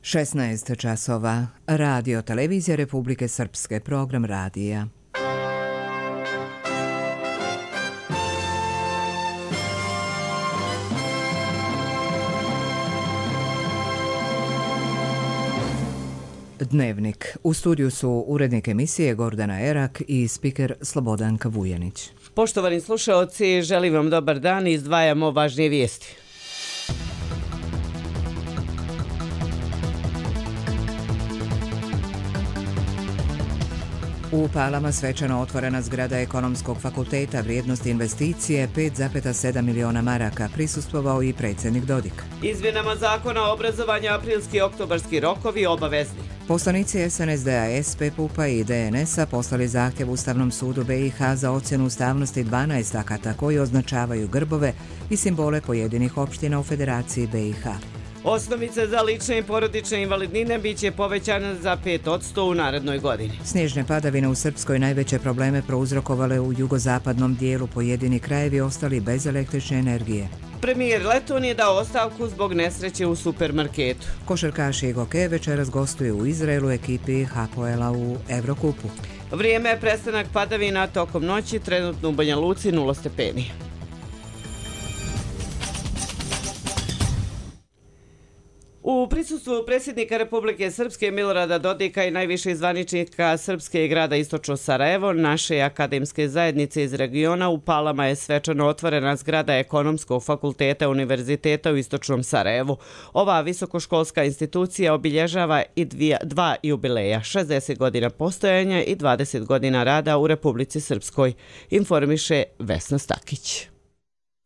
16 časova. Radio Televizija Republike Srpske, program radija. Dnevnik. U studiju su urednik emisije Gordana Erak i spiker Slobodanka Vujanić. Poštovani slušaoci, želim vam dobar dan i izdvajamo važnije vijesti. U Palama svečano otvorena zgrada Ekonomskog fakulteta, vrijednost investicije 5,7 miliona maraka, prisustvovao i predsjednik Dodik. Izmjenama zakona o obrazovanju aprilski i oktobarski rokovi obavezni. Poslanici SNSD-a, SP-PUP-a i DNS-a poslali zahtjev Ustavnom sudu BiH za ocjenu ustavnosti 12 akata koji označavaju grbove i simbole pojedinih opština u Federaciji BiH. Osnovice za lične i porodične invalidnine bit će povećana za 5% u narednoj godini. Snježne padavine u Srpskoj najveće probleme prouzrokovale u jugozapadnom dijelu, pojedini krajevi ostali bez električne energije. Premijer Leton je dao ostavku zbog nesreće u supermarketu. Košarkaši i hokeje večeras gostuju u Izraelu ekipi Hapoela u Evrokupu. Vrijeme je prestanak padavina tokom noći, trenutno u Banja Luci 0 stepeni. U prisustvu predsjednika Republike Srpske Milorada Dodika i najviših zvaničnika Srpske i grada Istočno Sarajevo, naše akademske zajednice iz regiona, u Palama je svečano otvorena zgrada Ekonomskog fakulteta Univerziteta u Istočnom Sarajevu. Ova visokoškolska institucija obilježava i dva jubileja, 60 godina postojanja i 20 godina rada u Republici Srpskoj, informiše Vesna Stakić.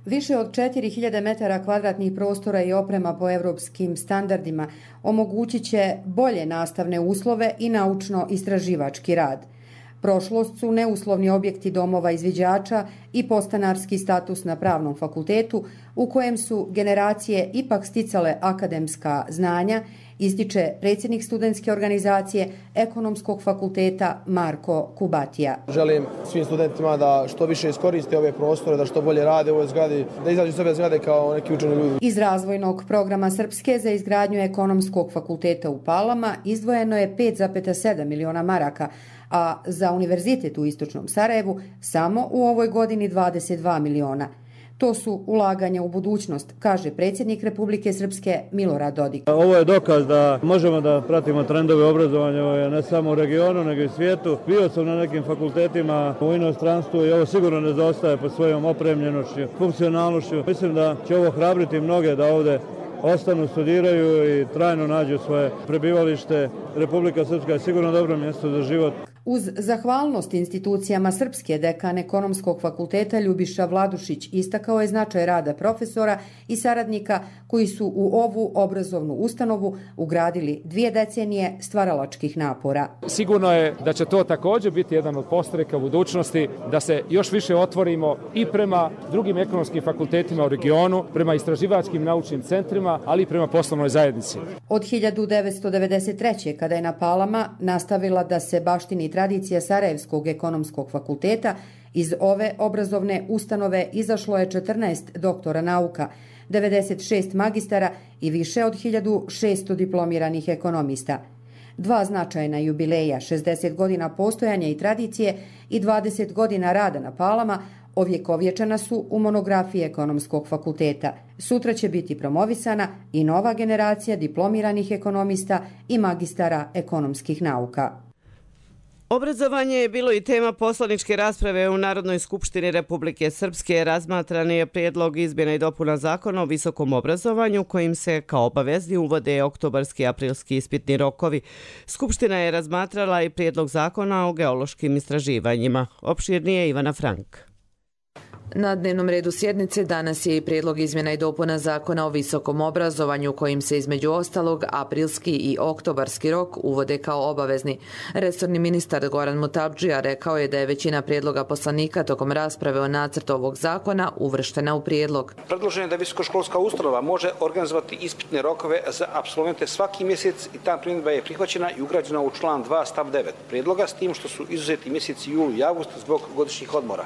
Više od 4000 metara kvadratnih prostora i oprema po evropskim standardima omogućit će bolje nastavne uslove i naučno-istraživački rad. Prošlost su neuslovni objekti domova izviđača i podstanarski status na Pravnom fakultetu u kojem su generacije ipak sticale akademska znanja, ističe predsjednik studentske organizacije Ekonomskog fakulteta Marko Kubatija. Želim svim studentima da što više iskoriste ove prostore, da što bolje rade u ovoj zgradi, da izađu iz ove zgrade kao neki učeni ljudi. Iz razvojnog programa Srpske za izgradnju Ekonomskog fakulteta u Palama izdvojeno je 5,7 miliona maraka, a za univerzitet u Istočnom Sarajevu samo u ovoj godini 22 miliona. To su ulaganja u budućnost, kaže predsjednik Republike Srpske Milorad Dodik. Ovo je dokaz da možemo da pratimo trendove obrazovanja ne samo u regionu, nego i svijetu. Bio sam na nekim fakultetima u inostranstvu i ovo sigurno ne zaostaje po svojom opremljenošću, funkcionalnošću. Mislim da će ovo hrabriti mnoge da ovdje ostanu, studiraju i trajno nađu svoje prebivalište. Republika Srpska je sigurno dobro mjesto za život. Uz zahvalnost institucijama Srpske, dekan Ekonomskog fakulteta Ljubiša Vladušić istakao je značaj rada profesora i saradnika koji su u ovu obrazovnu ustanovu ugradili 2 decenije stvaralačkih napora. Sigurno je da će to također biti jedan od postreka u budućnosti, da se još više otvorimo i prema drugim ekonomskim fakultetima u regionu, prema istraživačkim naučnim centrima, ali i prema poslovnoj zajednici. Od 1993. kada je na Palama nastavila da se baštini tradicija Sarajevskog ekonomskog fakulteta, iz ove obrazovne ustanove izašlo je 14 doktora nauka, 96 magistara i više od 1600 diplomiranih ekonomista. 2 značajna jubileja, 60 godina postojanja i tradicije i 20 godina rada na Palama, ovjekovječena su u monografiji Ekonomskog fakulteta. Sutra će biti promovisana i nova generacija diplomiranih ekonomista i magistara ekonomskih nauka. Obrazovanje je bilo i tema poslaničke rasprave u Narodnoj skupštini Republike Srpske. Razmatran je prijedlog izmjena i dopuna zakona o visokom obrazovanju kojim se kao obavezni uvode oktobarski i aprilski ispitni rokovi. Skupština je razmatrala i prijedlog zakona o geološkim istraživanjima. Opširnije Ivana Frank. Na dnevnom redu sjednice danas je i prijedlog izmjena i dopuna zakona o visokom obrazovanju kojim se između ostalog aprilski i oktobarski rok uvode kao obavezni. Resorni ministar Goran Mutabdžija rekao je da je većina prijedloga poslanika tokom rasprave o nacrtu ovog zakona uvrštena u prijedlog. Predloženo je da visokoškolska ustanova može organizovati ispitne rokove za apsolvente svaki mjesec i ta primjedba je prihvaćena i ugrađena u član 2 stav 9 prijedloga, s tim što su izuzeti mjeseci jul i avgust zbog godišnjih odmora.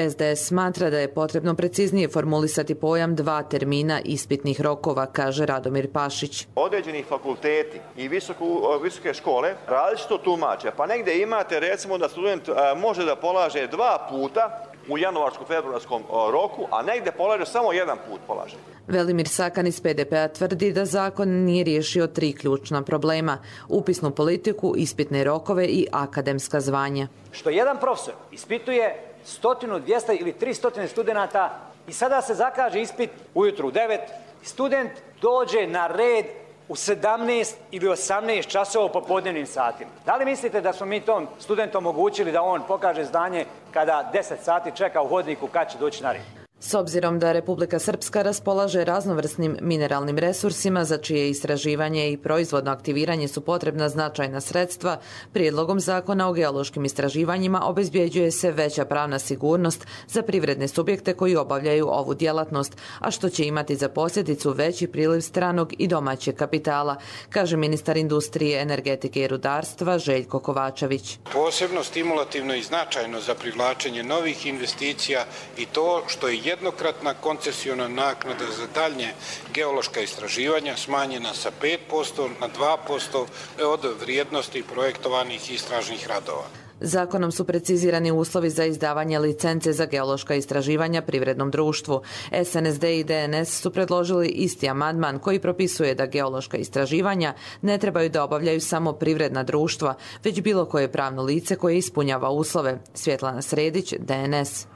SDS smatra da je potrebno preciznije formulisati pojam 2 termina ispitnih rokova, kaže Radomir Pašić. Određeni fakulteti i visoke škole različito tumače, pa negdje imate recimo da student može da polaže 2 puta u januarsko-februarskom roku, a negdje polaže samo 1 put polaže. Velimir Sakan iz PDP-a tvrdi da zakon nije riješio 3 ključna problema: upisnu politiku, ispitne rokove i akademska zvanja. Što jedan profesor ispituje 100, 200 ili 300 studenata i sada se zakaže ispit ujutru u 9, student dođe na red u 17 ili 18 časova u popodnevnim satima. Da li mislite da smo mi tom studentu omogućili da on pokaže znanje kada 10 sati čeka u hodniku kad će doći na red? S obzirom da Republika Srpska raspolaže raznovrsnim mineralnim resursima za čije istraživanje i proizvodno aktiviranje su potrebna značajna sredstva, prijedlogom zakona o geološkim istraživanjima obezbjeđuje se veća pravna sigurnost za privredne subjekte koji obavljaju ovu djelatnost, a što će imati za posljedicu veći priliv stranog i domaćeg kapitala, kaže ministar industrije, energetike i rudarstva Željko Kovačević. Posebno stimulativno i značajno za privlačenje novih investicija i to što je jednokratna koncesiona naknada za daljnje geološka istraživanja smanjena sa 5% na 2% od vrijednosti projektovanih istražnih radova. Zakonom su precizirani uslovi za izdavanje licence za geološka istraživanja privrednom društvu. SNSD i DNS su predložili isti amandman koji propisuje da geološka istraživanja ne trebaju da obavljaju samo privredna društva, već bilo koje pravno lice koje ispunjava uslove. Svjetlana Sredić, DNS.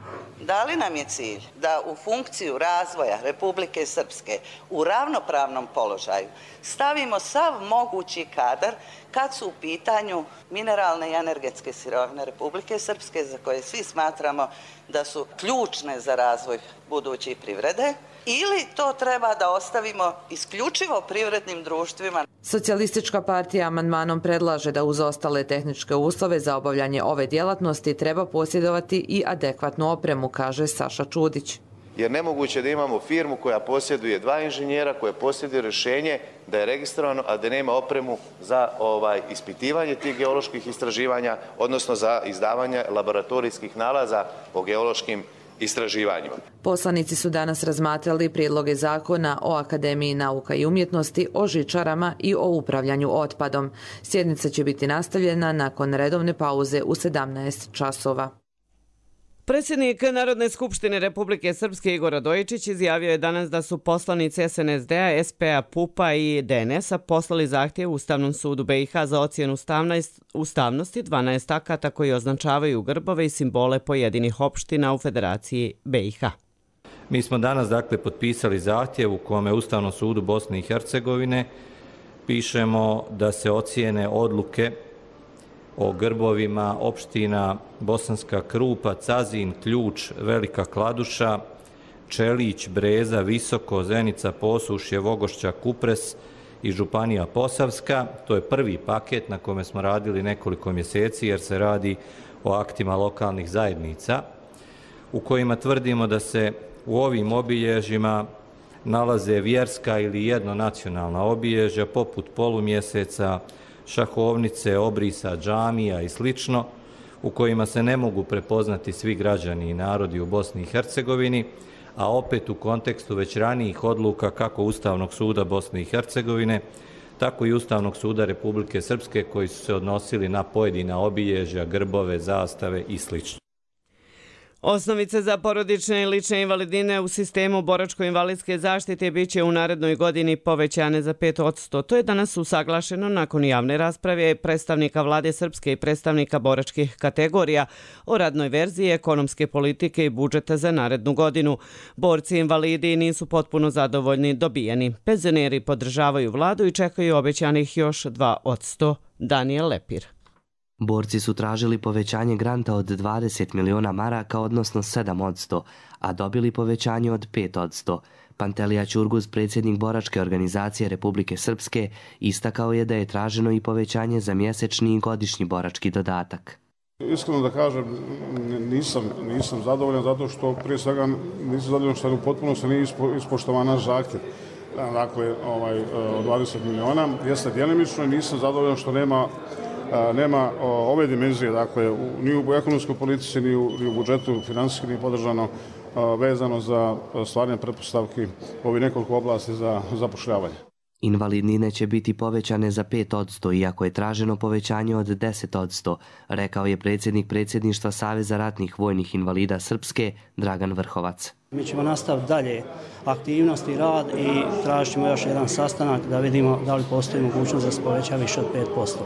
Da li nam je cilj da u funkciju razvoja Republike Srpske u ravnopravnom položaju stavimo sav mogući kadar kad su u pitanju mineralne i energetske sirovine Republike Srpske, za koje svi smatramo da su ključne za razvoj buduće privrede, ili to treba da ostavimo isključivo privrednim društvima? Socijalistička partija amandmanom predlaže da uz ostale tehničke uslove za obavljanje ove djelatnosti treba posjedovati i adekvatnu opremu, kaže Saša Čudić. Jer nemoguće da imamo firmu koja posjeduje 2 inženjera, koja posjeduje rješenje da je registrovano, a da nema opremu za ispitivanje tih geoloških istraživanja, odnosno za izdavanje laboratorijskih nalaza o geološkim istraživanjima. Poslanici su danas razmatrali prijedloge zakona o Akademiji nauka i umjetnosti, o žičarama i o upravljanju otpadom. Sjednica će biti nastavljena nakon redovne pauze u 17 časova. Predsjednik Narodne skupštine Republike Srpske Igor Radojičić izjavio je danas da su poslanici SNSD-a, SP-a, PUP-a i DNS-a poslali zahtjev Ustavnom sudu BiH za ocjenu ustavnosti 12 akata koji označavaju grbove i simbole pojedinih opština u Federaciji BiH. Mi smo danas potpisali zahtjev u kome Ustavnom sudu Bosne i Hercegovine pišemo da se ocijene odluke o grbovima opština Bosanska Krupa, Cazin, Ključ, Velika Kladuša, Čelić, Breza, Visoko, Zenica, Posušje, Vogošća, Kupres i Županija Posavska. To je prvi paket na kome smo radili nekoliko mjeseci jer se radi o aktima lokalnih zajednica u kojima tvrdimo da se u ovim obilježjima nalaze vjerska ili jednonacionalna obilježja poput polumjeseca, šahovnice, obrisa, džamija i slično, u kojima se ne mogu prepoznati svi građani i narodi u Bosni i Hercegovini, a opet u kontekstu već ranijih odluka kako Ustavnog suda Bosne i Hercegovine, tako i Ustavnog suda Republike Srpske koji su se odnosili na pojedina obilježja, grbove, zastave i slično. Osnovice za porodične i lične invalidine u sistemu boračko-invalidske zaštite bit će u narednoj godini povećane za 5%. To je danas usaglašeno nakon javne rasprave predstavnika Vlade Srpske i predstavnika boračkih kategorija o radnoj verziji ekonomske politike i budžeta za narednu godinu. Borci invalidi nisu potpuno zadovoljni dobijeni. Penzioneri podržavaju vladu i čekaju obećanih još 2%. Daniel Lepir. Borci su tražili povećanje granta od 20 miliona maraka, odnosno 7%, a dobili povećanje od 5%. Pantelija Ćurguz, predsjednik boračke organizacije Republike Srpske, istakao je da je traženo i povećanje za mjesečni i godišnji borački dodatak. Iskreno da kažem, nisam zadovoljan zato što prije svega nisam zadovoljan što u potpunosti nije ispoštovan naš zahtjev. Dakle, od 20 miliona jeste djelimično i nisam zadovoljan što nema nema ove dimenzije, dakle, ni u ekonomskoj politici, ni u budžetu financijski nije podržano vezano za stvaranje pretpostavki u ovih nekoliko oblasti za zapošljavanje. Invalidnine će biti povećane za 5%, iako je traženo povećanje od 10%, rekao je predsjednik predsjedništva Saveza ratnih vojnih invalida Srpske, Dragan Vrhovac. Mi ćemo nastaviti dalje aktivnosti i rad i tražit ćemo još jedan sastanak da vidimo da li postoji mogućnost da se poveća više od 5%.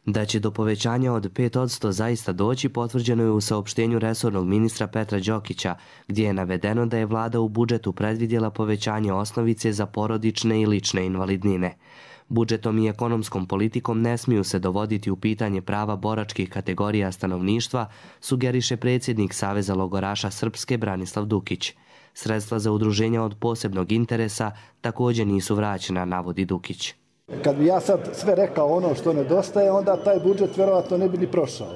Da će do povećanja od 5% zaista doći potvrđeno je u saopštenju resornog ministra Petra Đokića, gdje je navedeno da je vlada u budžetu predvidjela povećanje osnovice za porodične i lične invalidnine. Budžetom i ekonomskom politikom ne smiju se dovoditi u pitanje prava boračkih kategorija stanovništva, sugeriše predsjednik Saveza logoraša Srpske Branislav Dukić. Sredstva za udruženja od posebnog interesa također nisu vraćena, navodi Dukić. Kad bi ja sad sve rekao ono što nedostaje, onda taj budžet vjerovatno ne bi ni prošao.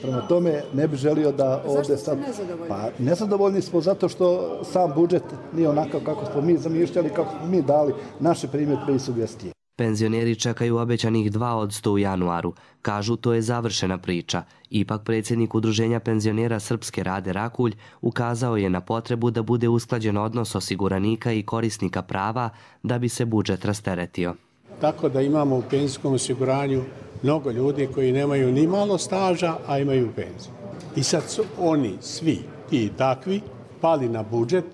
Prema tome ne bi želio da ovdje sad... Nezadovoljni? Pa nezadovoljni smo zato što sam budžet nije onakav kako smo mi zamišljali, kako smo mi dali naše primjedbe i sugestije. Penzioneri čekaju obećanih 2% u januaru. Kažu to je završena priča. Ipak predsjednik Udruženja penzionera Srpske Rade Rakulj ukazao je na potrebu da bude usklađen odnos osiguranika i korisnika prava da bi se budžet rasteretio. Tako da imamo u penzijskom osiguranju mnogo ljudi koji nemaju ni malo staža, a imaju penziju. I sad su oni svi ti takvi pali na budžet.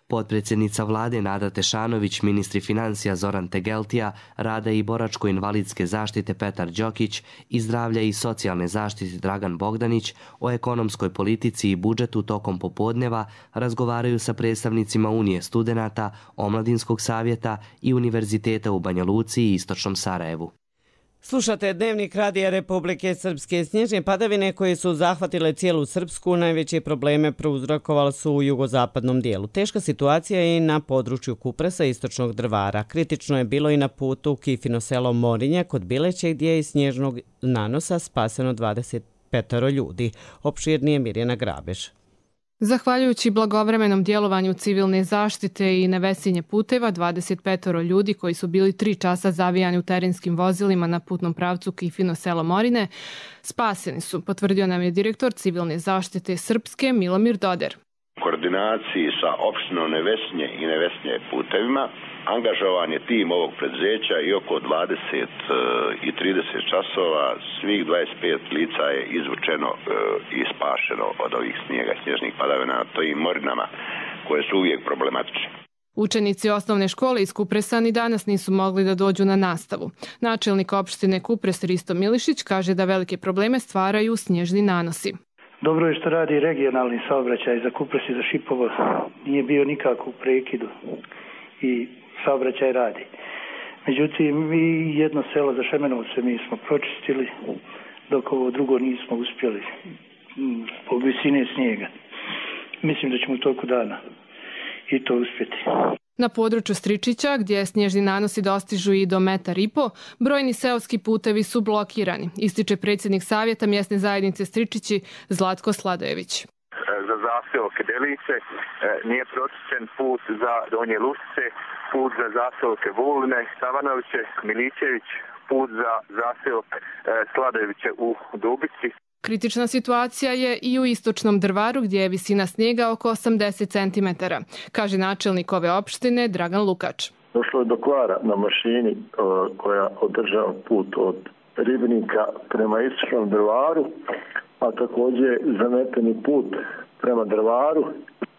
Potpredsjednica vlade Nada Tešanović, ministri financija Zoran Tegeltija, rada i boračko-invalidske zaštite Petar Đokić i zdravlja i socijalne zaštite Dragan Bogdanić o ekonomskoj politici i budžetu tokom popodneva razgovaraju sa predstavnicima Unije studenata, Omladinskog savjeta i Univerziteta u Banja Luci i Istočnom Sarajevu. Slušate Dnevnik Radija Republike Srpske. Snježne padavine koje su zahvatile cijelu Srpsku najveće probleme prouzrokovale su u jugozapadnom dijelu. Teška situacija je i na području Kupresa i Istočnog Drvara. Kritično je bilo i na putu Kifino selo Morinje kod Bileće gdje je iz snježnog nanosa spaseno 25 ljudi. Opširnije Mirjana Grabež. Zahvaljujući blagovremenom djelovanju civilne zaštite i nevesinje puteva, 25 ljudi koji su bili 3 časa zavijani u terenskim vozilima na putnom pravcu Kifino selo Morine spaseni su, potvrdio nam je direktor civilne zaštite Srpske Milomir Doder. U koordinaciji sa opštinom Nevesinje i Nevesinje putevima angažovan je tim ovog preduzeća i oko 20 i 30 časova svih 25 lica je izvučeno i spašeno od ovih snijega, snježnih padavina na tojim morinama koje su uvijek problematične. Učenici osnovne škole iz Kupresa ni danas nisu mogli da dođu na nastavu. Načelnik opštine Kupres Risto Milišić kaže da velike probleme stvaraju snježni nanosi. Dobro je što radi regionalni saobraćaj za Kupres i za Šipovo. Nije bio nikako u prekidu i saobraćaj radi. Međutim, mi jedno selo za Šemenovce mi smo pročistili, dok ovo drugo nismo uspjeli po visine snijega. Mislim da ćemo u toku dana i to uspjeti. Na području Stričića, gdje snježni nanosi dostižu i do 1,5 m, brojni seoski putevi su blokirani, ističe predsjednik savjeta mjesne zajednice Stričići Zlatko Sladojević. Za zaseoke Delice nije pročišćen put za Donje Lusice, put za zaseoke Vuline, Savanoviće, Milićević, put za zaseok Sladojeviće u Dubici. Kritična situacija je i u Istočnom Drvaru gdje je visina snijega oko 80 cm, kaže načelnik ove opštine Dragan Lukač. Došlo je do kvara na mašini koja održava put od Ribnika prema Istočnom Drvaru, a također zameteni put prema Drvaru.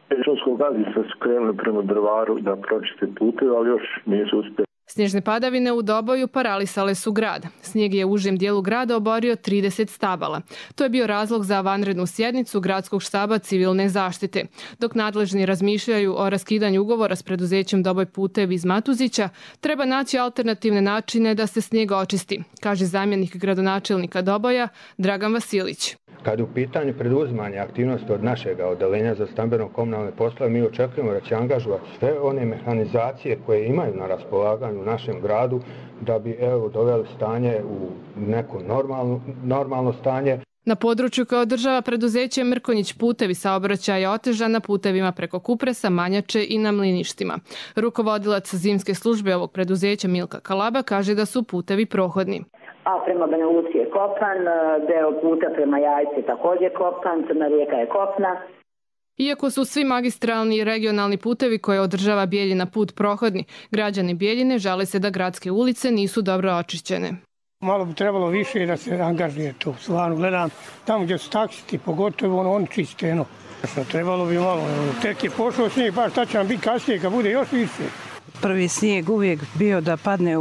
Pečonskog gazdinstva su krenuli prema Drvaru da pročiste puteve, ali još nisu uspjeli. Snježne padavine u Doboju paralisale su grad. Snijeg je u užem dijelu grada oborio 30 stabala. To je bio razlog za vanrednu sjednicu Gradskog štaba civilne zaštite. Dok nadležni razmišljaju o raskidanju ugovora s preduzećem Doboj putevi iz Matuzića, treba naći alternativne načine da se snijeg očisti, kaže zamjenik gradonačelnika Doboja Dragan Vasilić. Kad u pitanju preduzimanje aktivnosti od našeg odeljenja za stambeno-komunalne poslove, mi očekujemo da će angažovati sve one mehanizacije koje imaju na raspolaganju u našem gradu da bi doveli stanje u neko normalno stanje. Na području koje održava preduzeće Mrkonjić putevi saobraćaj je otežan na putevima preko Kupresa, Manjače i na mliništima. Rukovodilac zimske službe ovog preduzeća Milka Kalaba kaže da su putevi prohodni. a prema Banja Luci je kopan, deo puta prema Jajci također kopan, Crna Rijeka je kopna. Iako su svi magistralni i regionalni putevi koje održava Bijeljina put prohodni, građani Bijeljine žale se da gradske ulice nisu dobro očišćene. Malo bi trebalo više da se angažuje to. Stvarno gledam tamo gdje su taksisti, pogotovo oni čiste. Trebalo bi malo. Tek je pošao snijeg, pa šta će nam biti kasnije kad bude još više. Prvi snijeg uvijek bio da padne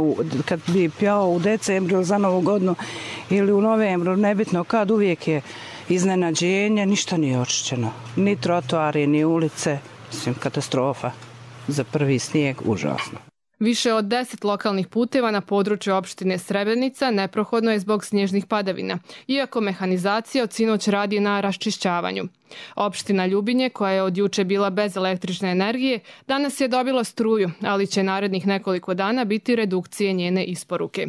kad bi pjao u decembru ili za Novu godinu ili u novembru, nebitno kad, uvijek je iznenađenje, ništa nije očišćeno. Ni trotoari, ni ulice, mislim katastrofa. Za prvi snijeg užasno. Više od 10 lokalnih puteva na području opštine Srebrenica neprohodno je zbog snježnih padavina, iako mehanizacija od sinoć radi na raščišćavanju. Opština Ljubinje, koja je od juče bila bez električne energije, danas je dobila struju, ali će narednih nekoliko dana biti redukcije njene isporuke.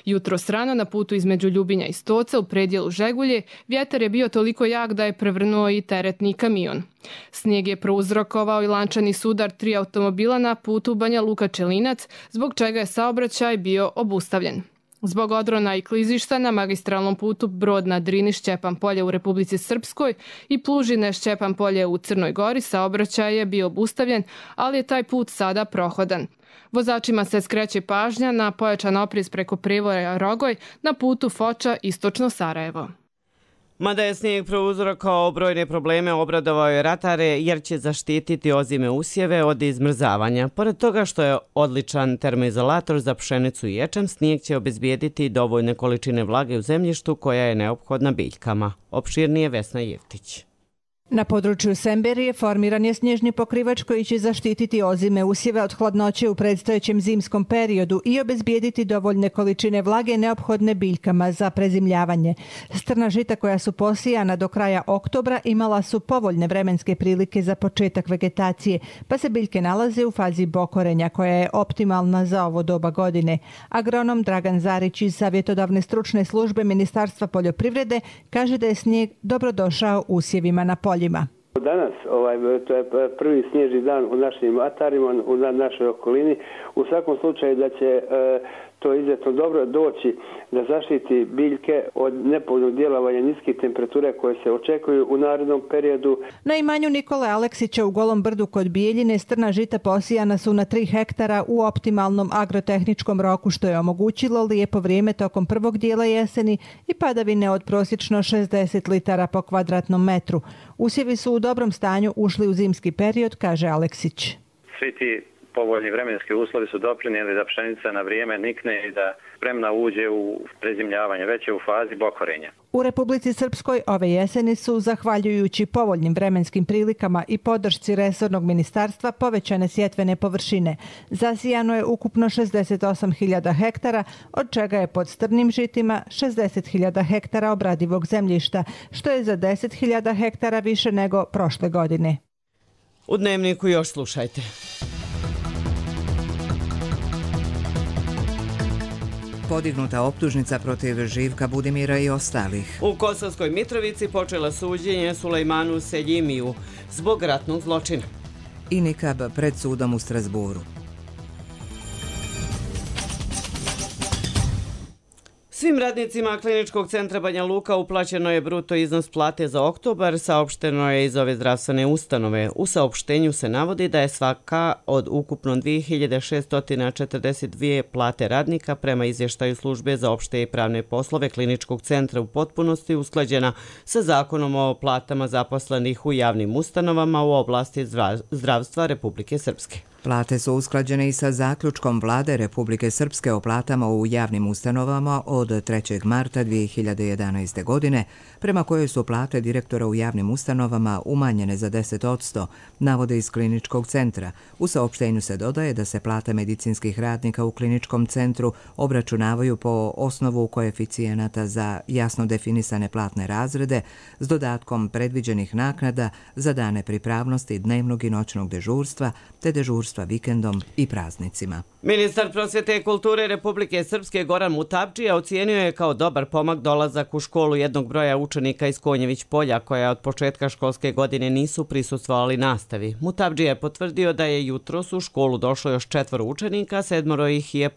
Jutros rano na putu između Ljubinja i Stoca u predjelu Žegulje vjetar je bio toliko jak da je prevrnuo i teretni kamion. Snijeg je prouzrokovao i lančani sudar 3 automobila na putu Banja Luka-Čelinac, zbog čega je saobraćaj bio obustavljen. Zbog odrona i klizišta na magistralnom putu Brod na Drini Šćepan polje u Republici Srpskoj i Plužine Šćepan polje u Crnoj Gori saobraćaj je bio obustavljen, ali je taj put sada prohodan. Vozačima se skreće pažnja na pojačan oprez preko Privoja Rogoj na putu Foča istočno Sarajevo. Mada je snijeg prouzrokovao brojne probleme, obradovao je ratare jer će zaštititi ozime usjeve od izmrzavanja. Pored toga što je odličan termoizolator za pšenicu i ječam, snijeg će obezbijediti dovoljne količine vlage u zemljištu koja je neophodna biljkama. Opširnije Vesna Jevtić. Na području Semberije formiran je snježni pokrivač koji će zaštititi ozime usjeve od hladnoće u predstojećem zimskom periodu i obezbijediti dovoljne količine vlage neophodne biljkama za prezimljavanje. Strna žita koja su posijana do kraja oktobra imala su povoljne vremenske prilike za početak vegetacije, pa se biljke nalaze u fazi bokorenja koja je optimalna za ovo doba godine. Agronom Dragan Zarić iz Savjetodavne stručne službe Ministarstva poljoprivrede kaže da je snijeg dobrodošao usjevima na polju. Danas, to je prvi snježni dan u našim atarima, u našoj okolini. U svakom slučaju da će to izuzetno dobro doći da zaštiti biljke od nepovoljnog djelovanja niskih temperatura koje se očekuju u narednom periodu. Na imanju Nikole Aleksića u Golom brdu kod Bijeljine strna žita posijana su na 3 hektara u optimalnom agrotehničkom roku, što je omogućilo lijepo vrijeme tokom prvog dijela jeseni i padavine od prosječno 60 litara po kvadratnom metru. Usjevi su u dobrom stanju ušli u zimski period, kaže Aleksić. Svi ti povoljni vremenski uslovi su doprinijeli da pšenica na vrijeme nikne i da spremna uđe u prezimljavanje, već je u fazi bokorenja. U Republici Srpskoj ove jeseni su, zahvaljujući povoljnim vremenskim prilikama i podršci resornog ministarstva, povećane sjetvene površine. Zasijano je ukupno 68.000 hektara, od čega je pod strnim žitima 60.000 hektara obradivog zemljišta, što je za 10.000 hektara više nego prošle godine. U Dnevniku još slušajte. Podignuta optužnica protiv Živka Budimira i ostalih. U Kosovskoj Mitrovici počela suđenje Sulejmanu Seljimiju zbog ratnog zločina. I Nikab pred sudom u Strasburu. Svim radnicima Kliničkog centra Banja Luka uplaćeno je bruto iznos plate za oktobar, saopšteno je iz ove zdravstvene ustanove. U saopštenju se navodi da je svaka od ukupno 2642 plate radnika prema izvještaju službe za opšte i pravne poslove Kliničkog centra u potpunosti usklađena sa zakonom o platama zaposlenih u javnim ustanovama u oblasti zdravstva Republike Srpske. Plate su usklađene i sa zaključkom Vlade Republike Srpske o platama u javnim ustanovama od 3. marta 2011. godine, prema kojoj su plate direktora u javnim ustanovama umanjene za 10%, navode iz Kliničkog centra. U saopštenju se dodaje da se plate medicinskih radnika u Kliničkom centru obračunavaju po osnovu koeficijenata za jasno definisane platne razrede s dodatkom predviđenih naknada za dane pripravnosti dnevnog i noćnog dežurstva te dežurstva dežurstva vikendom i praznicima. Ministar prosvjete i kulture Republike Srpske Goran Mutavdžija ocijenio je kao dobar pomak dolazak u školu jednog broja učenika iz Konjević polja koja od početka školske godine nisu prisustvovali nastavi. Mutavdžija je potvrdio da je jutros u školu došlo još 4 učenika, 7 ih je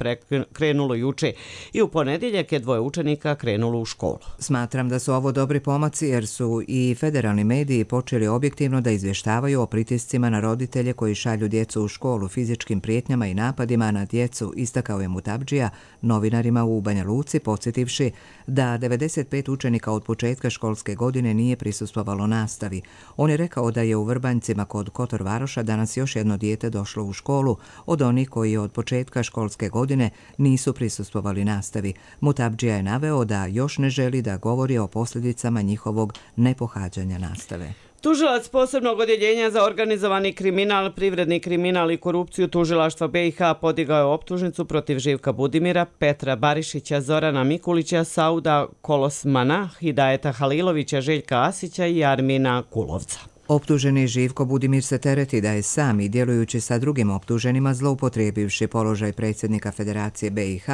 krenulo juče i u ponedjeljak je 2 učenika krenulo u školu. Smatram da su ovo dobri pomaci jer su i federalni mediji počeli objektivno da izvještavaju o pritiscima na roditelje koji šalju djecu u školu, fizičkim prijetnjama i napadima na djecu, istakao je Mutavdžija novinarima u Banja Luci, podsjetivši da 95 učenika od početka školske godine nije prisustvovalo nastavi. On je rekao da je u Vrbanjcima kod Kotor Varoša danas još jedno dijete došlo u školu od onih koji od početka školske godine nisu prisustvovali nastavi. Mutavdžija je naveo da još ne želi da govori o posljedicama njihovog nepohađanja nastave. Tužilac posebnog odjeljenja za organizovani kriminal, privredni kriminal i korupciju Tužilaštva BiH podigao je optužnicu protiv Živka Budimira, Petra Barišića, Zorana Mikulića, Sauda Kolosmana, Hidajeta Halilovića, Željka Asića i Armina Kulovca. Optuženi Živko Budimir se tereti da je sam i djelujući sa drugim optuženima zloupotrijebivši položaj predsjednika Federacije BiH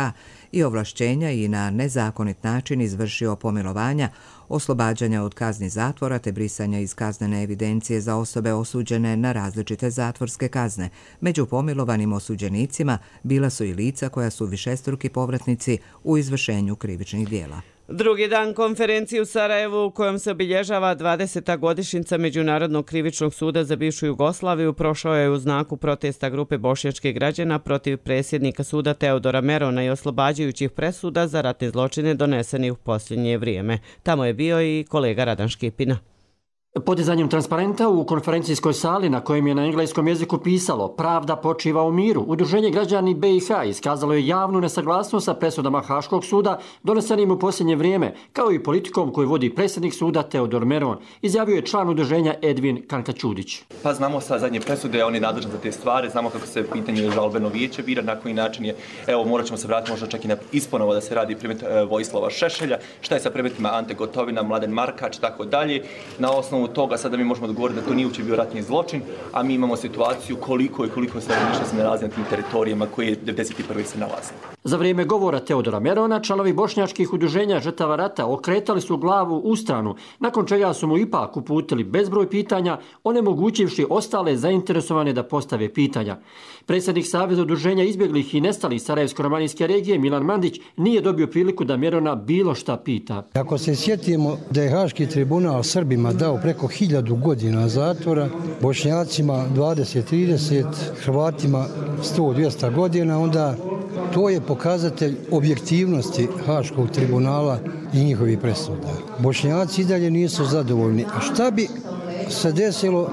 i ovlašćenja i na nezakonit način izvršio pomilovanja, oslobađanja od kazni zatvora te brisanja iz kaznene evidencije za osobe osuđene na različite zatvorske kazne. Među pomilovanim osuđenicima bila su i lica koja su višestruki povratnici u izvršenju krivičnih djela. Drugi dan konferencije u Sarajevu u kojom se obilježava 20. godišnjica Međunarodnog krivičnog suda za bivšu Jugoslaviju prošao je u znaku protesta grupe bošnjačkih građana protiv predsjednika suda Teodora Merona i oslobađajućih presuda za ratne zločine donesenih u posljednje vrijeme. Tamo je bio i kolega Radan Škipina. Podizanjem transparenta u konferencijskoj sali na kojem je na engleskom jeziku pisalo "Pravda počiva u miru", Udruženje građani BiH iskazalo je javnu nesaglasnost sa presudama Haškog suda donesenim u posljednje vrijeme, kao i politikom koju vodi predsjednik suda Teodor Meron, izjavio je član udruženja Edvin Kankačudić. Pa znamo sa zadnje presude, on je nadležan za te stvari, znamo kako se pitanje žalbeno vijeće bira, na koji način je, evo morat ćemo se vratiti možda čak i na isponovo da se radi predmet Vojislava Šešelja, šta je sa predmetima Ante Gotovina, Mladen Markač i tako dalje. Na osnovu toga sada mi možemo odgovoriti da to nije uopće bio ratni zločin, a mi imamo situaciju koliko stanovništva se nalazi na tim teritorijama koje 1991. se nalaze. Za vrijeme govora Teodora Merona, članovi bošnjačkih udruženja žrtava rata okretali su glavu u stranu, nakon čega su mu ipak uputili bezbroj pitanja, onemogućivši ostale zainteresovane da postave pitanja. Predsjednik Saveza udruženja izbjeglih i nestalih Sarajevsko-romanijske regije Milan Mandić nije dobio priliku da Merona bilo šta pita. Ako se sjetimo da je Haški tribunal Srbima dao preko 1000 godina zatvora, Bošnjacima 20-30, Hrvatima 100-200 godina, onda to je pokazatelj objektivnosti Haškog tribunala i njihovih presuda. Bošnjaci i dalje nisu zadovoljni. A šta bi se desilo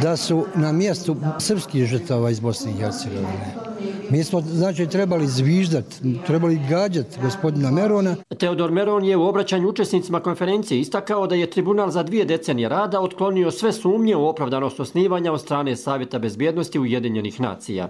da su na mjestu srpskih žrtava iz Bosne i Hercegovine? Mi smo, znači, trebali zviždati, trebali gađati gospodina Merona. Teodor Meron je u obraćanju učesnicima konferencije istakao da je tribunal za 2 decenije rada otklonio sve sumnje u opravdanost osnivanja od strane Savjeta bezbjednosti Ujedinjenih nacija.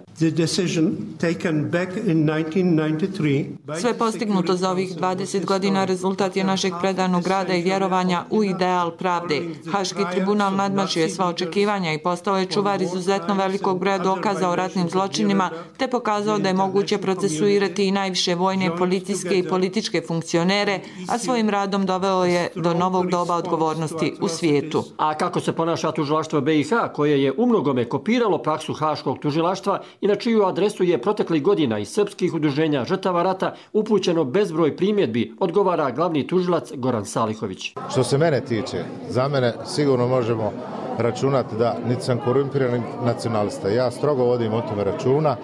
Sve postignuto za ovih 20 godina rezultat je našeg predanog rada i vjerovanja u ideal pravde. Haški tribunal nadmašio je sva očekivanja i postao je čuvar izuzetno velikog broja dokaza o ratnim zločinima, te pokazao da je moguće procesuirati i najviše vojne, policijske i političke funkcionere, a svojim radom doveo je do novog doba odgovornosti u svijetu. A kako se ponaša tužilaštvo BiH, koje je umnogome kopiralo praksu Haškog tužilaštva i na čiju adresu je proteklih godina iz srpskih udruženja žrtava rata upućeno bezbroj primjedbi, odgovara glavni tužilac Goran Salihović. Što se mene tiče, za mene sigurno možemo računati da niti sam korumpiran nacionalista. Ja strogo vodim o tome računa,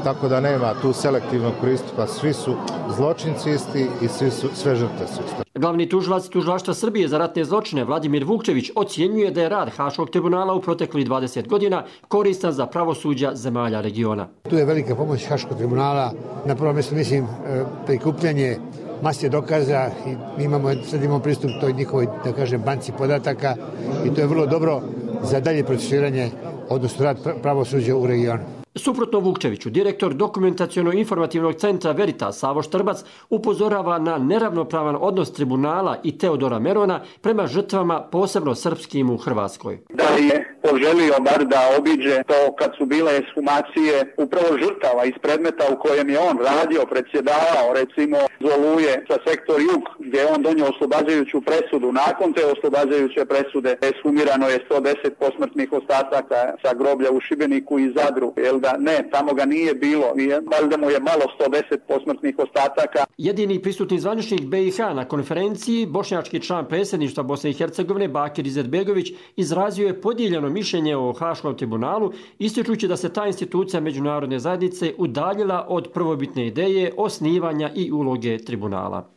tako da nema tu selektivnog pristupa. Svi su zločinci isti i sve žrtve su iste. Glavni tužilac Tužilaštva Srbije za ratne zločine Vladimir Vukčević ocjenjuje da je rad Haškog tribunala u proteklih 20 godina koristan za pravosuđa zemalja regiona. Tu je velika pomoć Haškog tribunala. Na prvom mjestu mislim prikupljanje mase dokaza i sad imamo pristup toj njihovoj, da kažem, banci podataka i to je vrlo dobro za dalje procesuiranje, odnosno rad pravosuđa u regionu. Suprotno Vukčeviću, direktor dokumentaciono-informativnog centra Veritas Savo Štrbac upozorava na neravnopravan odnos tribunala i Teodora Merona prema žrtvama, posebno srpskim u Hrvatskoj. Da je poželio bar da obiđe to kad su bile ekshumacije upravo žrtava iz predmeta u kojem je on radio, predsjedavao, recimo Oluje sa sektor Jug, gdje je on donio oslobađajuću presudu. Nakon te oslobađajuće presude ekshumirano je 110 posmrtnih ostataka sa groblja u Šibeniku i Zadru. Tamo ga nije bilo. Valjda mu je malo 110 posmrtnih ostataka. Jedini prisutni zvaničnik BiH na konferenciji, bošnjački član predsjedništva Bosne i Hercegovine Bakir Izetbegović, izrazio je podijeljeno mišljenje o Haškom tribunalu, ističući da se ta institucija međunarodne zajednice udaljila od prvobitne ideje osnivanja i uloge tribunala.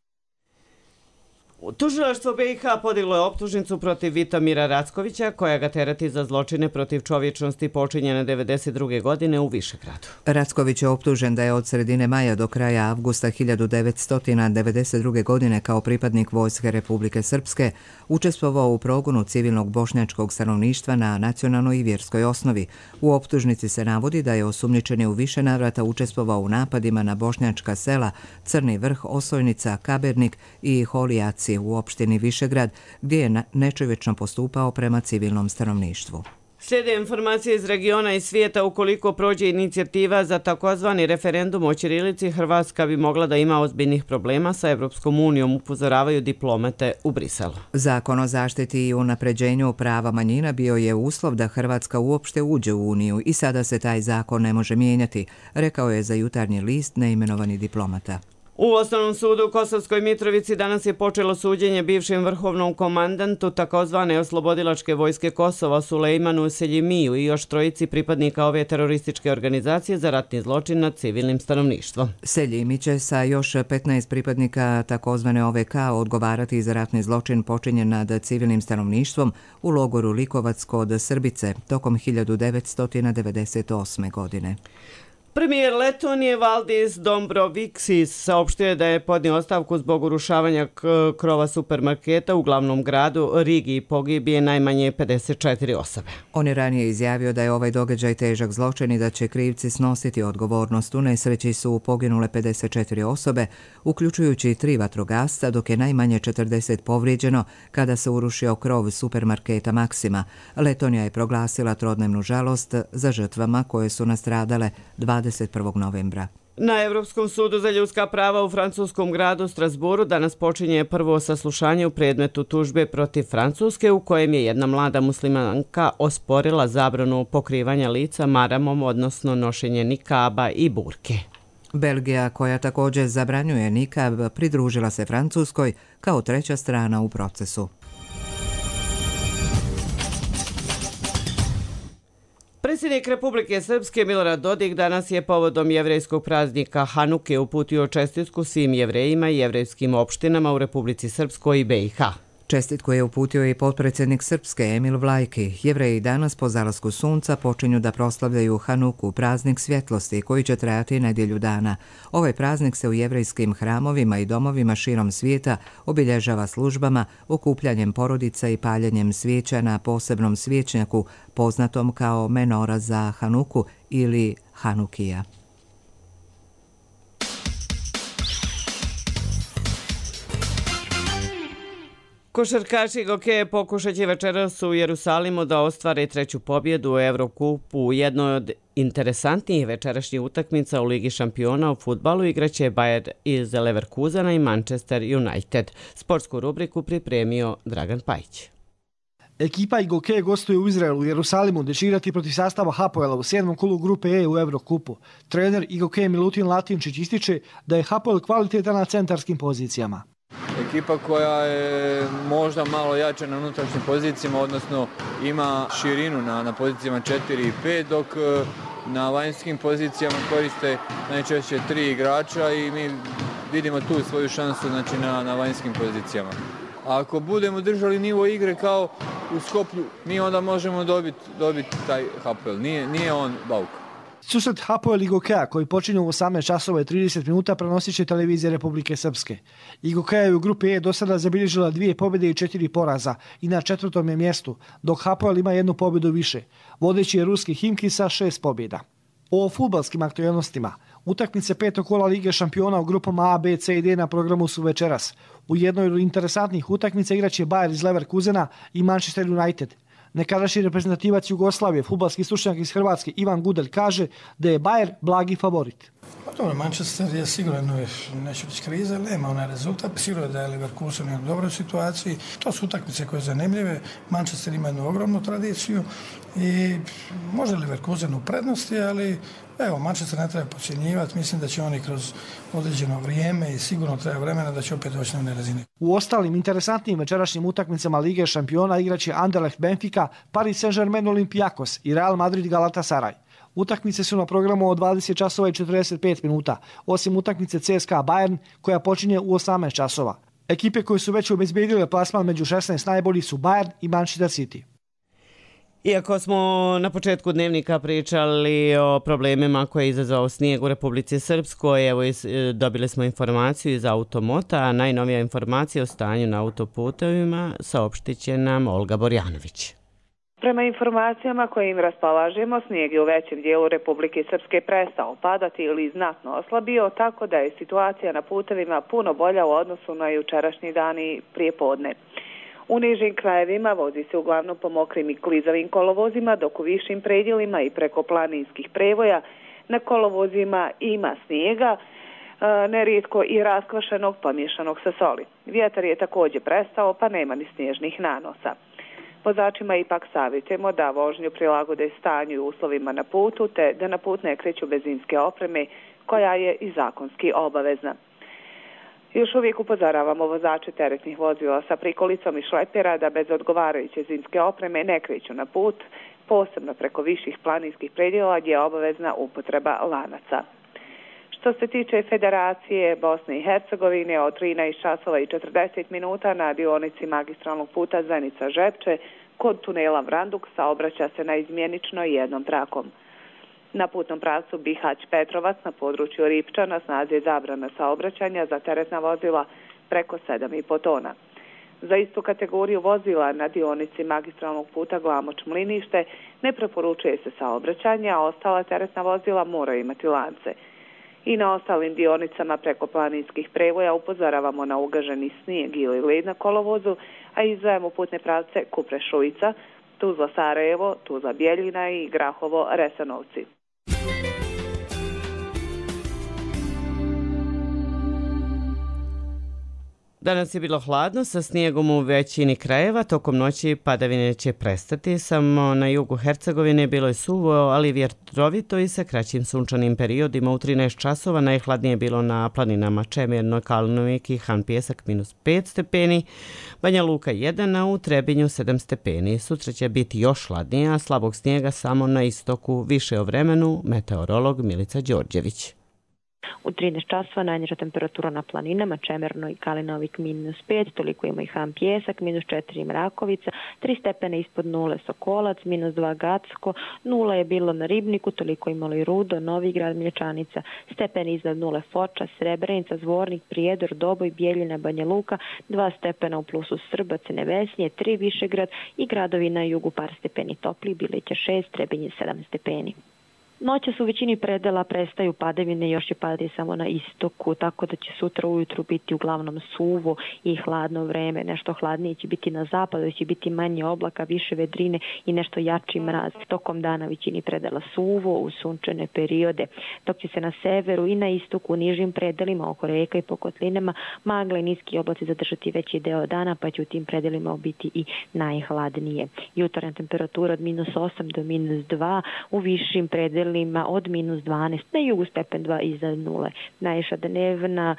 Tužilaštvo BiH podiglo je optužnicu protiv Vitomira Rackovića, koja ga tereti za zločine protiv čovječnosti počinjene 1992. godine u Višegradu. Racković je optužen da je od sredine maja do kraja avgusta 1992. godine kao pripadnik Vojske Republike Srpske učestvovao u progonu civilnog bošnjačkog stanovništva na nacionalnoj i vjerskoj osnovi. U optužnici se navodi da je osumnjičeni u više navrata učestvovao u napadima na bošnjačka sela Crni Vrh, Osojnica, Kabernik i Holijaci u opštini Višegrad, gdje je nečovječno postupao prema civilnom stanovništvu. Slijede informacije iz regiona i svijeta. Ukoliko prođe inicijativa za takozvani referendum o ćirilici, Hrvatska bi mogla da ima ozbiljnih problema sa Evropskom unijom, upozoravaju diplomate u Briselu. Zakon o zaštiti i unapređenju prava manjina bio je uslov da Hrvatska uopšte uđe u Uniju i sada se taj zakon ne može mijenjati, rekao je za Jutarnji list neimenovani diplomata. U Osnovnom sudu u Kosovskoj Mitrovici danas je počelo suđenje bivšem vrhovnom komandantu takozvane oslobodilačke vojske Kosova Sulejmanu Seljimiju i još trojici pripadnika ove terorističke organizacije za ratni zločin nad civilnim stanovništvom. Seljimi će sa još 15 pripadnika takozvane OVK odgovarati za ratni zločin počinjen nad civilnim stanovništvom u logoru Likovac kod Srbice tokom 1998. godine. Premijer Letonije Valdis Dombrovskis saopštio je da je podnio ostavku zbog urušavanja krova supermarketa u glavnom gradu Rigi i pogibije najmanje 54 osobe. On je ranije izjavio da je ovaj događaj težak zločin i da će krivci snositi odgovornost. U nesreći su poginule 54 osobe, uključujući 3 vatrogasca, dok je najmanje 40 povrijeđeno kada se urušio krov supermarketa Maksima. Letonija je proglasila trodnevnu žalost za žrtvama koje su nastradale 21. novembra. Na Evropskom sudu za ljudska prava u francuskom gradu Strasburu danas počinje prvo saslušanje u predmetu tužbe protiv Francuske u kojem je jedna mlada muslimanka osporila zabranu pokrivanja lica maramom, odnosno nošenje nikaba i burke. Belgija, koja također zabranjuje nikab, pridružila se Francuskoj kao treća strana u procesu. Predsjednik Republike Srpske Milorad Dodik danas je povodom jevrejskog praznika Hanuke uputio čestitku svim jevrejima i jevrejskim opštinama u Republici Srpskoj i BiH. Čestitku je uputio i potpredsjednik Srpske Emil Vlajki. Jevreji danas po zalasku sunca počinju da proslavljaju Hanuku, praznik svjetlosti koji će trajati nedjelju dana. Ovaj praznik se u jevrejskim hramovima i domovima širom svijeta obilježava službama, okupljanjem porodica i paljenjem svijeća na posebnom svijećnjaku poznatom kao menora za Hanuku ili Hanukija. Košarkaši Gokeje pokušat će večeras u Jerusalimu da ostvare treću pobjedu u Evrokupu. U jednoj od interesantnijih večerašnjih utakmica u Ligi šampiona u fudbalu igraće Bayern iz Leverkusena i Manchester United. Sportsku rubriku pripremio Dragan Pajić. Ekipa Gokeje gostuje u Izraelu u Jerusalimu gdje će igrati protiv sastava Hapoela u 7. kolu grupe E u Evrokupu. Trener Gokeje Milutin Latinčić ističe da je Hapoel kvalitetan na centarskim pozicijama. Ekipa koja je možda malo jača na unutrašnjim pozicijama, odnosno ima širinu na pozicijama 4 i 5, dok na vanjskim pozicijama koriste najčešće 3 igrača i mi vidimo tu svoju šansu, znači, na vanjskim pozicijama. A ako budemo držali nivo igre kao u Skoplju, mi onda možemo dobiti taj Hapoel. Nije on bauk. Susret Hapoel i Gokeja koji počinju u 18 časova i 30 minuta prenosit će televizija Republike Srpske. Gokeja je u grupi E do sada zabilježila 2 pobjede i 4 poraza i na 4. je mjestu, dok Hapoel ima 1 pobjedu više. Vodeći je ruski Himki sa 6 pobjeda. O fudbalskim aktualnostima. Utakmice 5. kola Lige šampiona u grupama A, B, C i D na programu su večeras. U jednoj od interesantnih utakmica igraće Bayer iz Leverkusena i Manchester United. Nekadašnji reprezentativac Jugoslavije, fudbalski stručnjak iz Hrvatske Ivan Gudelj kaže da je Bayer blagi favorit. Dobro, Manchester je sigurno, neće biti kriza, ali nema onaj rezultat. Sigurno da je Leverkusen u dobroj situaciji. To su utakmice koje su zanimljive. Manchester ima jednu ogromnu tradiciju i može Leverkusen u prednosti, ali evo, Manchester ne treba podcjenjivati. Mislim da će oni kroz određeno vrijeme i sigurno treba vremena da će opet doći na one razine. U ostalim interesantnim večerašnjim utakmicama Lige šampiona igraće Anderlecht Benfica, Paris Saint-Germain Olympiakos i Real Madrid Galatasaray. Utakmice su na programu od 20 časova i 45 minuta, osim utakmice CSKA Bayern koja počinje u 18 časova. Ekipe koje su već obezbijedile plasman među 16 najboljih su Bayern i Manchester City. Iako smo na početku dnevnika pričali o problemima koje je izazvao snijeg u Republici Srpskoj, evo dobili smo informaciju iz Automota, a najnovija informacija o stanju na autoputevima saopštit će nam Olga Borjanović. Prema informacijama koje im raspolažemo, snijeg je u većem dijelu Republike Srpske prestao padati ili znatno oslabio, tako da je situacija na putevima puno bolja u odnosu na jučerašnji dan i prijepodne. U nižim krajevima vozi se uglavnom po mokrim i klizavim kolovozima, dok u višim predjelima i preko planinskih prevoja na kolovozima ima snijega, nerijetko i raskvašenog pomješanog sa soli. Vjetar je također prestao, pa nema ni snježnih nanosa. Vozačima ipak savjetujemo da vožnju prilagode stanju i uslovima na putu, te da na put ne kreću bez zimske opreme, koja je i zakonski obavezna. Još uvijek upozoravamo vozače teretnih vozila sa prikolicom i šlepera da bez odgovarajuće zimske opreme ne kreću na put, posebno preko viših planinskih predjela gdje je obavezna upotreba lanaca. Što se tiče Federacije Bosne i Hercegovine, od 13 časova i 40 minuta na dionici magistralnog puta Zenica-Žepče kod tunela Vranduk saobraća se na izmjenično jednom trakom. Na putnom pravcu Bihać-Petrovac na području Ripča na snazi je zabrana saobraćanja za teretna vozila preko 7,5 tona. Za istu kategoriju vozila na dionici magistralnog puta Glamoč-Mlinište ne preporučuje se saobraćanje, a ostala teretna vozila moraju imati lance. I na ostalim dionicama preko planinskih prevoja upozoravamo na ugaženi snijeg ili led na kolovozu, a izdvajamo putne pravce Kupre-Šujica, Tuzla-Sarajevo, Tuzla-Bjeljina i Grahovo-Resanovci. Danas je bilo hladno sa snijegom u većini krajeva, tokom noći padavine će prestati, samo na jugu Hercegovine bilo je suvo, ali vjetrovito i sa kraćim sunčanim periodima. U 13 časova najhladnije je bilo na planinama Čemerno, Kalnovik i Han Pjesak -5 stepeni, Banja Luka 1, a u Trebinju 7 stepeni. Sutra će biti još hladnije, a slabog snijega samo na istoku. Više o vremenu, meteorolog Milica Đorđević. U 13 časova najniža temperatura na planinama Čemerno i Kalinovik -5, toliko ima i Han Pjesak, -4 Mrakovica, 3 stepene ispod nule Sokolac, -2 Gacko, 0 je bilo na Ribniku, toliko imalo i Rudo, Novigrad, Mlječanica, stepeni iznad nule Foča, Srebrenica, Zvornik, Prijedor, Doboj, Bijeljina, Banja Luka, 2 stepena u plusu Srbac, Nevesnje, 3 Višegrad i gradovi na jugu par stepeni topli, Bileća 6, Trebinje 7 stepeni. Noćas u većini predela prestaju padavine, još će padati samo na istoku, tako da će sutra ujutru biti uglavnom suvo i hladno vreme. Nešto hladnije će biti na zapadu, će biti manje oblaka, više vedrine i nešto jači mraz. Tokom dana većini predela suvo u sunčane periode, dok će se na severu i na istoku u nižim predelima oko reka i po kotlinama magla i niski oblaci zadržati veći deo dana, pa će u tim predelima biti i najhladnije. Jutarnja temperatura od -8 do -2, u višim predelima od -12, na jugu stepen 2 iznad nule. Najviša dnevna,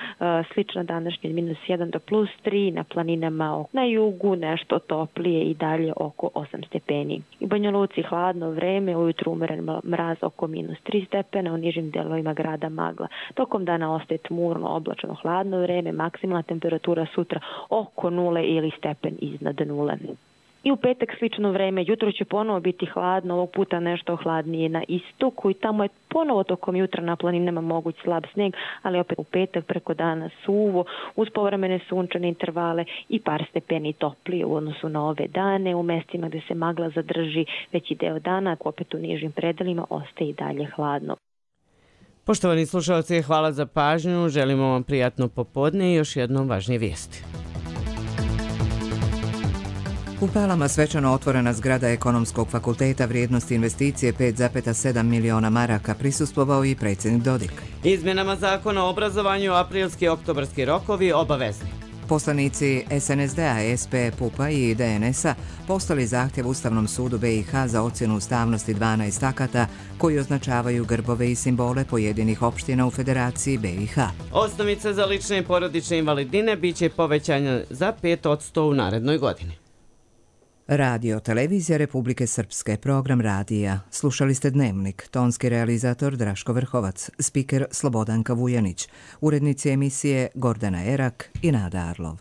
slična današnja od -1 do +3, na planinama na jugu nešto toplije i dalje oko 8 stepeni. U Banja Luci hladno vreme, ujutru umeren mraz oko -3 stepena, u nižim delovima grada magla. Tokom dana ostaje tmurno, oblačno hladno vreme, maksimalna temperatura sutra oko nule ili stepen iznad nule. I u petak slično vreme, jutro će ponovo biti hladno, ovog puta nešto hladnije na istoku i tamo je ponovo tokom jutra na planinama moguć slab snijeg, ali opet u petak preko dana suvo, uz povremene sunčane intervale i par stepeni toplije u odnosu na ove dane. U mestima gdje se magla zadrži veći deo dana, opet u nižim predelima ostaje i dalje hladno. Poštovani slušalci, hvala za pažnju, želimo vam prijatno popodne i još jednom važnije vijesti. U Palama svečano otvorena zgrada Ekonomskog fakulteta vrijednosti investicije 5,7 miliona maraka, prisustvovao i predsjednik Dodik. Izmjenama zakona o obrazovanju aprilski i oktobarski rokovi obavezni. Poslanici SNSD-a, SP, PUP-a i DNS-a postali zahtjev Ustavnom sudu BiH za ocjenu ustavnosti 12 akata koji označavaju grbove i simbole pojedinih opština u Federaciji BiH. Osnovica za lične i porodične invalidnine biće povećanja za 5% u narednoj godini. Radio Televizija Republike Srpske, program radija. Slušali ste Dnevnik, tonski realizator Draško Vrhovac, spiker Slobodanka Vujanić, urednici emisije Gordana Erak i Nada Arlov.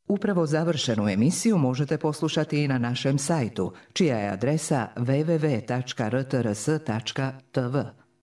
Upravo završenu emisiju možete poslušati i na našem sajtu, čija je adresa www.rtrs.tv.